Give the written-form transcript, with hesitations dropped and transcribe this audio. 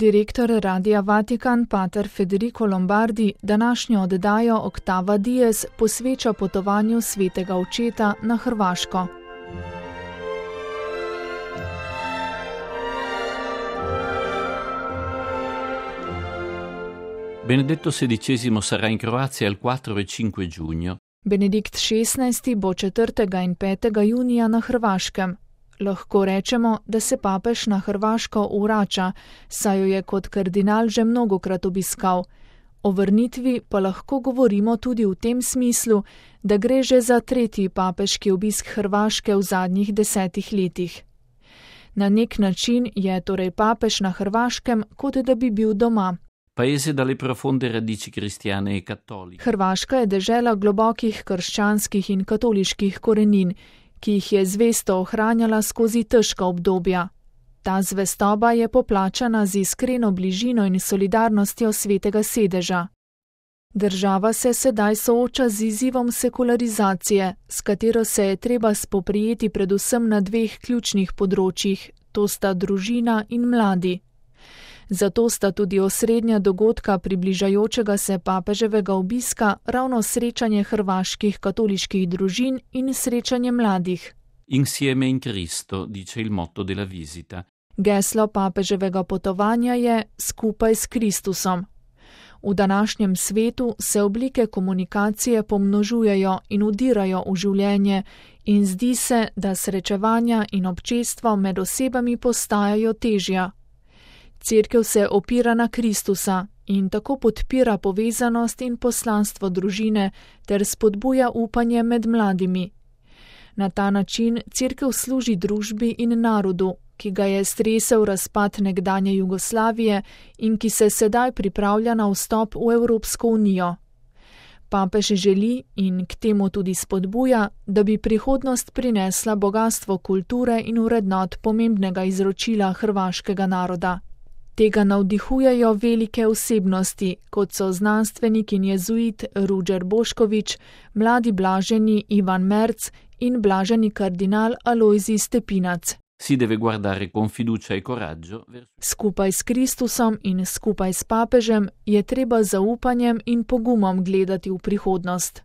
Direktor Radia Vatikan pater Federico Lombardi današnjo oddajo Octava Dies posveča potovanju svetega očeta na Hrvaško. Benedetto XVI sarà in Croazia il 4 e 5 giugno. Benedikt XVI bo 4. in 5. junija na Hrvaškem. Lahko rečemo, da se papež na Hrvaško vrača, saj jo je kot kardinal že mnogokrat obiskal. O vrnitvi pa lahko govorimo tudi v tem smislu, da gre že za 3. papeški obisk Hrvaške v zadnjih 10 letih. Na nek način je torej papež na Hrvaškem, kot da bi bil doma. Paese dalle profonde radici cristiane e cattoliche. Hrvaška je dežela globokih krščanskih in katoliških korenin, ki jih je zvesto ohranjala skozi težka obdobja. Ta zvestoba je poplačana z iskreno bližino in solidarnostjo svetega sedeža. Država se sedaj sooča z izzivom sekularizacije, s katero se je treba spoprijeti predvsem na 2 ključnih področjih, to sta družina in mladi. Zato sta tudi osrednja dogodka približajočega se papeževega obiska ravno srečanje hrvaških katoliških družin in srečanje mladih. Insieme in Cristo, dice il motto della visita. Geslo papeževega potovanja je skupaj s Kristusom. V današnjem svetu se oblike komunikacije pomnožujejo in vdirajo v življenje in zdi se, da srečevanja in občestvo med osebami postajajo težja. Cerkev se opira na Kristusa in tako podpira povezanost in poslanstvo družine ter spodbuja upanje med mladimi. Na ta način cerkev služi družbi in narodu, ki ga je stresel razpad nekdanje Jugoslavije in ki se sedaj pripravlja na vstop v Evropsko unijo. Papež želi in k temu tudi spodbuja, da bi prihodnost prinesla bogastvo kulture in vrednot pomembnega izročila hrvaškega naroda. Tega navdihujejo velike osebnosti, kot so znanstvenik in jezuit Ruđer Bošković, mladi blaženi Ivan Merc in blaženi kardinal Alojzij Stepinac. Si deve guardare con fiducia e coraggio. Skupaj s Kristusom in skupaj s papežem je treba z zaupanjem in pogumom gledati v prihodnost.